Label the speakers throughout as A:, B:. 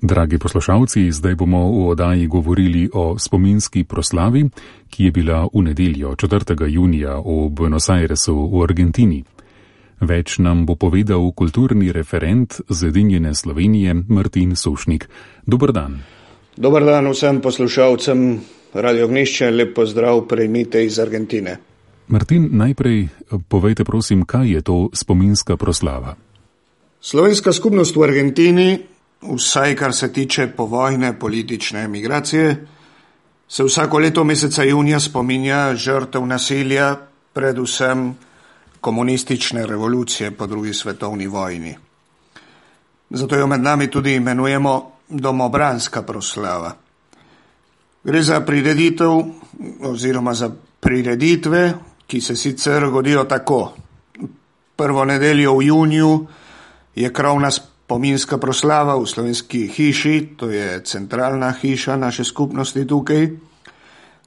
A: Dragi poslušalci, zdaj bomo v oddaji govorili o spominski proslavi, ki je bila v nedeljo 4. junija v Buenos Airesu v Argentini. Več nam bo povedal kulturni referent Zedinjene Slovenije Martin Sušnik. Dober dan.
B: Dober dan vsem poslušalcem Radio Ognišče, lep pozdrav prejmite iz Argentine.
A: Martin, najprej povejte prosim, kaj je to spominska proslava?
B: Slovenska skupnost v Argentini, vsaj kar se tiče povojne politične emigracije, se vsako leto meseca junija spominja žrtev nasilja, predvsem komunistične revolucije po drugi svetovni vojni. Zato jo med nami tudi imenujemo domobranska proslava. Gre za prireditev oziroma za prireditve, ki se sicer godijo tako. Prvo nedeljo v juniju je krovna spominska proslava v Slovenski hiši, to je centralna hiša naše skupnosti tukaj.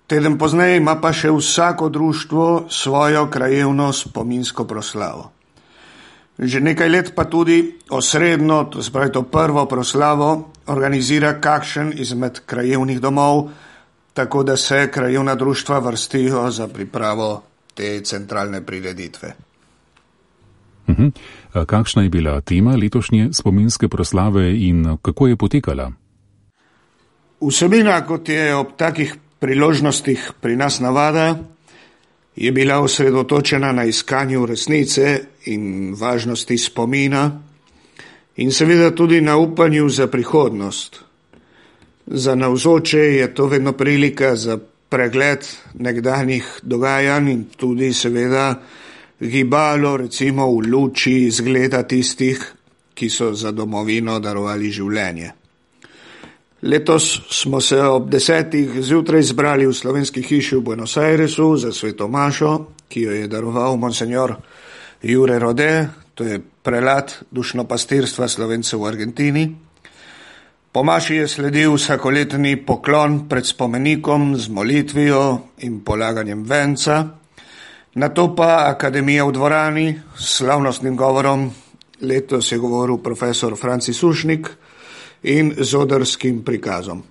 B: Teden pozneje ima pa še vsako društvo svojo krajevno spominsko proslavo. Že nekaj let pa tudi osrednjo, to se pravi to prvo proslavo, organizira kakšen izmed krajevnih domov, tako da se krajevna društva vrstijo za pripravo te centralne prireditve.
A: Kakšna je bila tema letošnje spominske proslave in kako je potekala?
B: Vsebina, kot je ob takih priložnostih pri nas navada, je bila osredotočena na iskanju resnice in važnosti spomina in seveda tudi na upanju za prihodnost. Za navzoče je to vedno prilika za pregled nekdanjih dogajanj in tudi seveda gibalo recimo v luči izgleda tistih, ki so za domovino darovali življenje. Letos smo se ob 10. zjutraj zbrali v Slovenski hiši v Buenos Airesu za sveto mašo, ki jo je daroval monsenjor Jure Rode, to je prelat dušnopastirstva Slovencev v Argentini. Po maši je sledil vsakoletni poklon pred spomenikom z molitvijo in polaganjem venca, nato pa akademija v dvorani s slavnostnim govorom, letos je govoril profesor Franci Sušnik, in z odrskim prikazom.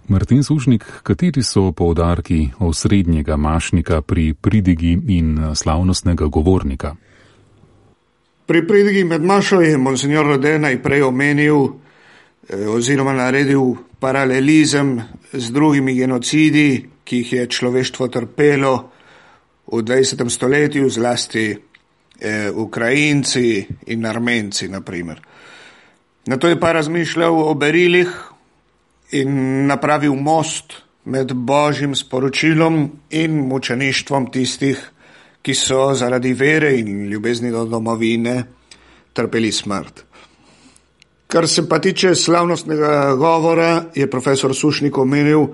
A: Martin Sušnik, kateri so poudarki osrednjega mašnika pri pridigi in slavnostnega govornika?
B: Pri pridigi med mašo je monsenjor Rode najprej omenil oziroma naredil paralelizem z drugimi genocidi, ki jih je človeštvo trpelo v 20. stoletju, zlasti Ukrajinci in Armenci, na primer. Nato je pa razmišljal o berilih in napravil most med božjim sporočilom in mučeništvom tistih, ki so zaradi vere in ljubezni do domovine trpeli smrt. Kar se pa tiče slavnostnega govora, je profesor Sušnik omenil,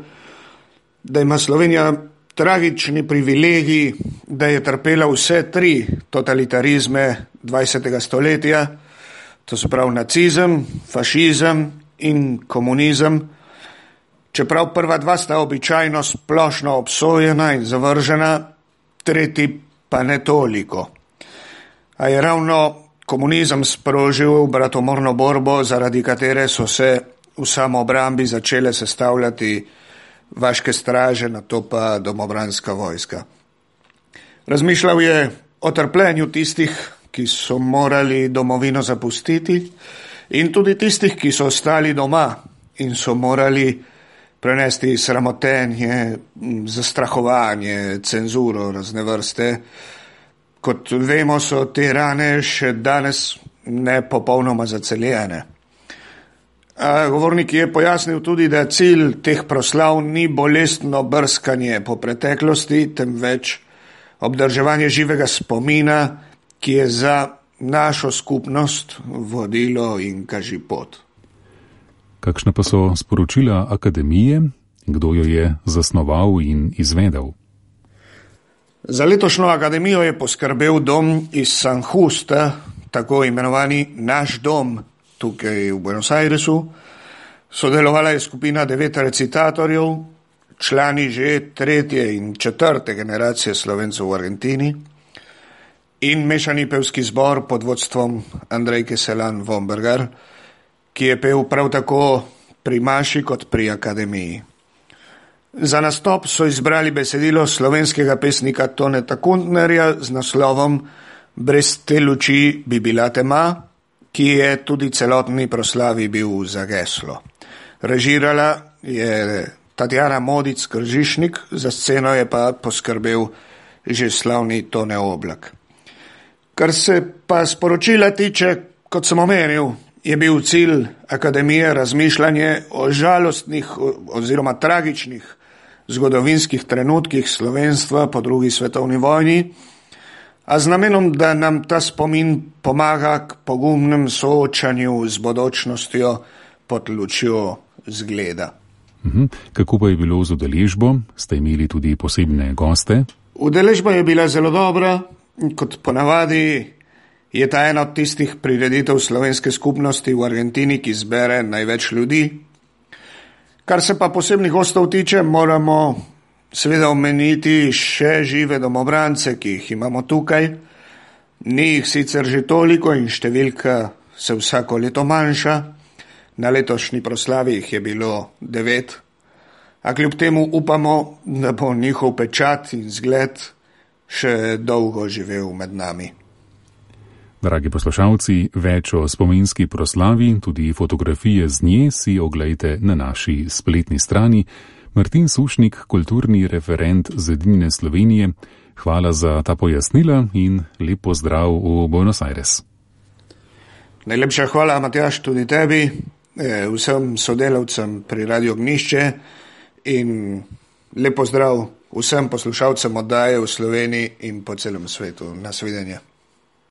B: da ima Slovenija tragični privilegij, da je trpela vse 3 totalitarizme 20. stoletja, to se pravi nacizem, fašizem in komunizem, čeprav prva 2 sta običajno splošno obsojena in zavržena, tretji pa ne toliko. A je ravno komunizem sprožil bratomorno borbo, zaradi katere so se v samoobrambi začele sestavljati vaške straže, nato pa domobranska vojska. Razmišljal je o trpljenju tistih, ki so morali domovino zapustiti, in tudi tistih, ki so ostali doma in so morali prenesti sramotenje, zastrahovanje, cenzuro razne vrste. Kot vemo, so te rane še danes ne popolnoma zaceljene. Govornik je pojasnil tudi, da cilj teh proslav ni bolestno brskanje po preteklosti, temveč obdrževanje živega spomina, ki je za našo skupnost vodilo in kažipot.
A: Kakšna pa so sporočila akademije? Kdo jo je zasnoval in izvedel?
B: Za letošnjo akademijo je poskrbel dom iz San Justa, tako imenovani Naš dom, tukaj v Buenos Airesu. Sodelovala je skupina 9 recitatorjev, člani že 3. in 4. generacije Slovencev v Argentini, in mešani pevski zbor pod vodstvom Andrejke Selan Vombergar, ki je pel prav tako pri maši kot pri akademiji. Za nastop so izbrali besedilo slovenskega pesnika Toneta Kuntnerja z naslovom Brez te luči bi bila tema, ki je tudi celotni proslavi bil za geslo. Režirala je Tatjana Modic Kržišnik, za sceno je pa poskrbel že slavni Tone Oblak. Kar se pa sporočila tiče, kot sem omenil, je bil cilj akademije razmišljanje o žalostnih oziroma tragičnih zgodovinskih trenutkih slovenstva po drugi svetovni vojni, a z namenom, da nam ta spomin pomaga k pogumnem soočanju z bodočnostjo pod lučjo zgleda.
A: Kako pa je bilo z udeležbo? Ste imeli tudi posebne goste?
B: Udeležba je bila zelo dobra, kot ponavadi je ta ena od tistih prireditev slovenske skupnosti v Argentini, ki zbere največ ljudi. Kar se pa posebnih gostov tiče, moramo seveda omeniti še žive domobrance, ki jih imamo tukaj. Ni jih sicer že toliko in številka se vsako leto manjša. Na letošnji proslavi jih je bilo 9, a kljub temu upamo, da bo njihov pečat in zgled še dolgo živel med nami.
A: Dragi poslušalci, več o spominski proslavi, tudi fotografije z nje si oglejte na naši spletni strani. Martin Sušnik, kulturni referent Zedinjene Slovenije, hvala za ta pojasnila in lep pozdrav v Buenos Aires.
B: Najlepša hvala, Matjaž, tudi tebi, vsem sodelavcem pri Radio Ognjišče in lep pozdrav vsem poslušalcem oddaje v Sloveniji in po celem svetu. Nasvidenje.